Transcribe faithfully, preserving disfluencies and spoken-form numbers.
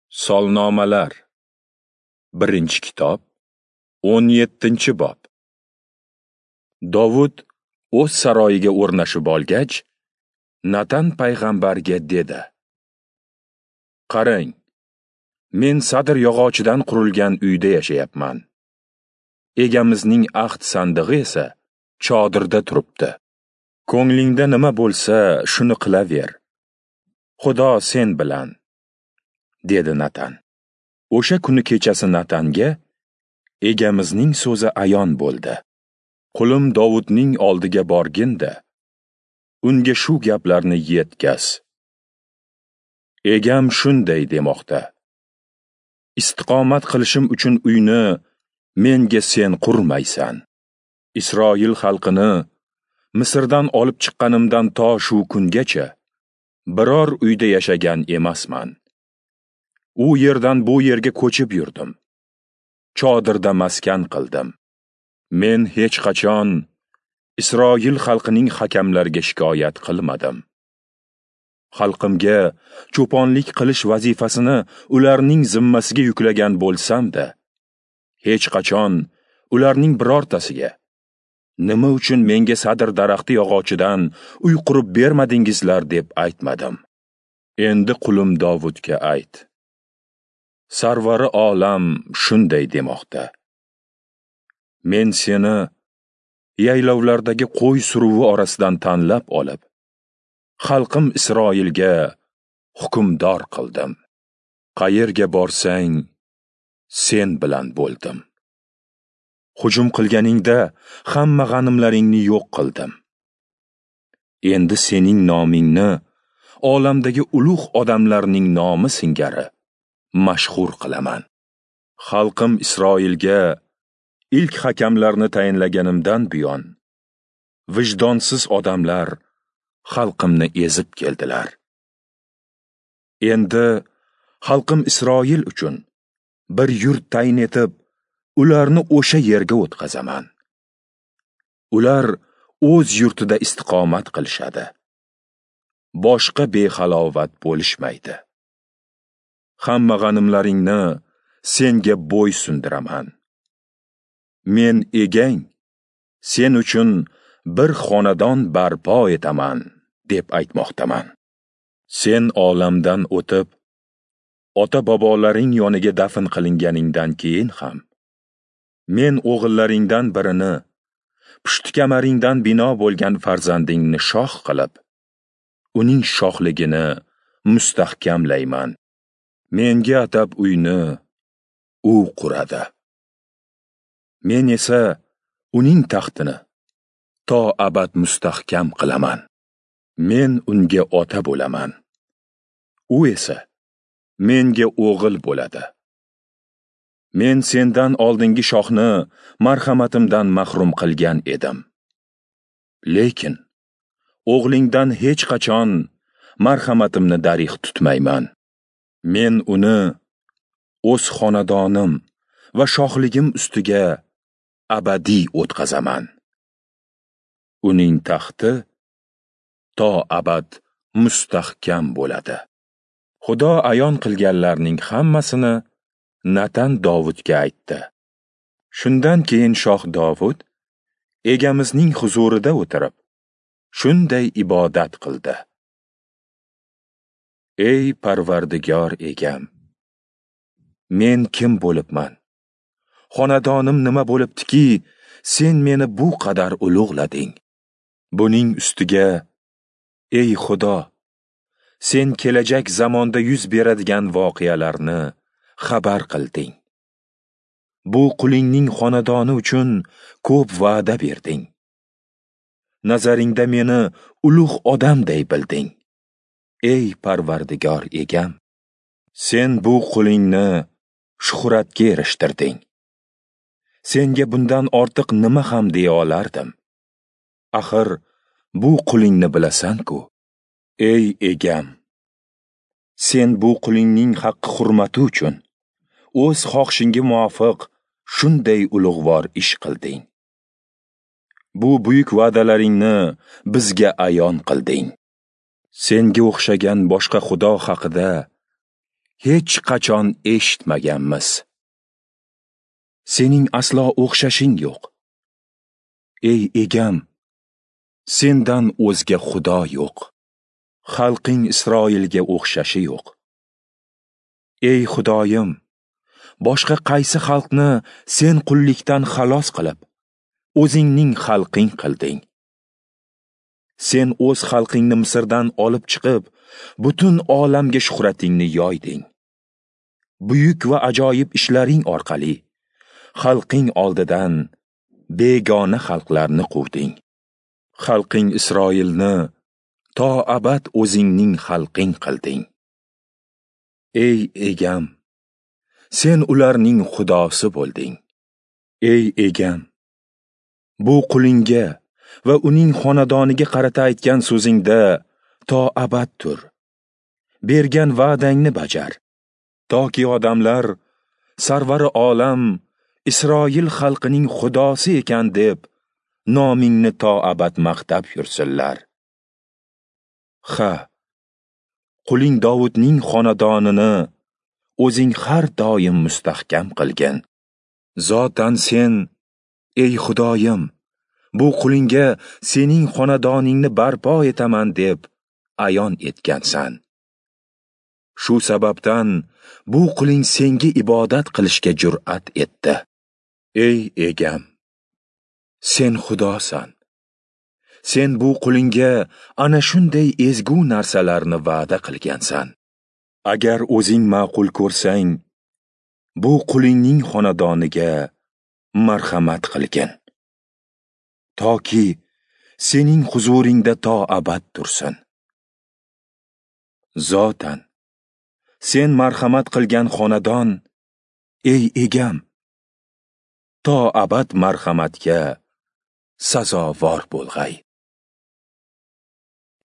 Solnomalar. Birinchi kitob, o'n yettinchi bob. Dovud o'z saroyiga o'rnashib olgach, Natan payg'ambarga dedi: Qarang, men sadr yog'ochidan qurilgan uyda yashayapman. Egamizning ahd sandig'i esa chodirda turibdi. Ko'nglingda nima bo'lsa, shuni qilaver. Xudo sen bilan, dedi Natan. O'sha kuni kechasi Natanga egamizning so'zi ayon bo'ldi. Qulim Dovudning oldiga borgin-da, unga shu gaplarni yetkaz. Egam shunday demoqda: Istiqomat qilishim uchun uyni menga sen qurmaysan. Isroil xalqini Misrdan olib chiqqanimdan to shu kungacha biror uyda yashagan emasman. U yerdan bu yerga ko'chib yurdim. Chodirda maskan qildim. Men hech qachon Isroil xalqining hakamlariga shikoyat qilmadim. Xalqimga cho'ponlik qilish vazifasini ularning zimmasiga yuklagan bo'lsam-da, hech qachon ularning birortasiga nima uchun menga sadr daraxti yog'ochidan uy qurib bermadingizlar deb aytmadim. Endi qulim Dovudga ayt: Sarvari olam shunday demoqda: Men seni yaylovlardagi qo'y suruvi orasidan tanlab olib, xalqim Isroilga hukmdor qildim. Qayerga borsang, sen bilan bo'ldim. Hujum qilganingda hamma g'animlaringni yo'q qildim. Endi sening nomingni olamdagi ulug' odamlarning nomi singari mashhur qilaman. Xalqim Isroilga ilk hakamlarni tayinlaganimdan buyon vijdonsiz odamlar xalqimni ezib keldilar. Endi xalqim Isroil uchun bir yurt tayin etib, ularni o'sha yerga o'tkazaman. Ular o'z yurtida istiqomat qilishadi. Boshqa behalovat bo'lishmaydi. Hamma g'animlaringni senga bo'ysundiraman. Men egang, sen uchun bir xonadon barpo etaman, deb aytmoqdaman. Sen olamdan o'tib, ota-bobolaring yoniga dafn qilinganingdan keyin ham, men o'g'illaringdan birini, pushti kamaringdan bino bo'lgan farzandingni shoh qilib, uning shohligini mustahkamlayman. Menga atab uyni u quradi. Men esa uning taxtini to abad mustahkam qilaman. Men unga ota bo'laman. U esa menga o'g'il bo'ladi. Men sendan oldingi shohni marhamatimdan mahrum qilgan edim. Lekin o'g'lingdan hech qachon marhamatimni darig' tutmayman. Men uni o'z xonadonim va shohligim ustiga abadiy o'tkazaman. Uning taxti to abad mustahkam bo'ladi. Xudo ayon qilganlarning hammasini Natan Dovudga aytdi. Shundan keyin shoh Dovud egamizning huzurida o'tirib, shunday ibodat qildi: Ey Parvardigor egam, men kim bo'libman? Xonadonim nima bo'libdiki, sen meni bu qadar ulug'lading? Buning ustiga, ey Xudo, sen kelajak zamonda yuz beradigan voqealarni xabar qilding. Bu qulingning xonadoni uchun ko'p va'da berding. Nazaringda meni ulug' odamday bilding. Ey Parvardigor egam, sen bu qulingni shuhratga erishtirding. Senga bundan ortiq nima ham deya olardim? Axir bu qulingni bilasan-ku. Ey egam, sen bu qulingning haqqi hurmati uchun o'z xohishingga muvofiq shunday ulug'vor ish qilding. Bu buyuk va'dalaringni bizga ayon qilding. Senga o'xshagan boshqa xudo haqida hech qachon eshitmaganmiz. Sening aslo o'xshashing yo'q. Ey Egam, sendan o'zga Xudo yo'q. Xalqing Isroilga o'xshashi yo'q. Ey Xudoyim, boshqa qaysi xalqni sen qullikdan xalos qilib, o'zingning xalqing qilding? Sen o'z xalqingni Misrdan olib chiqib, butun olamga shuhratingni yoyding. Buyuk va ajoyib ishlaring orqali xalqing oldidan begona xalqlarni quvding. Xalqing Isroilni to abad o'zingning xalqing qilding. Ey Egam, sen ularning Xudosi bo'lding. Ey Egam, bu qulingga va uning xonadoniga qarata aytgan so'zingda to abad tur. Bergan va'dangni bajar, toki odamlar Sarvari olam Isroil xalqining Xudosi ekan deb nomingni to abad maqtab yursinlar. Ha, quling Dovudning xonadonini o'zing har doim mustahkam qilgin. Zotan sen, ey Xudoyim, bu qulingga sening xonadoningni barpo etaman deb ayon etgansan. Shu sababdan bu quling senga ibodat qilishga jur'at etdi. Ey Egam, sen Xudosan. Sen bu qulingga ana shunday ezgu narsalarni va'da qilgansan. Agar o'zing ma'qul ko'rsang, bu qulingning xonadoniga marhamat qilgin, toki sening huzuringda to abad tursin. Zotan, sen marhamat qilgan xonadon, ey Egam, to abad marhamatga sazovor bo'lg'ay.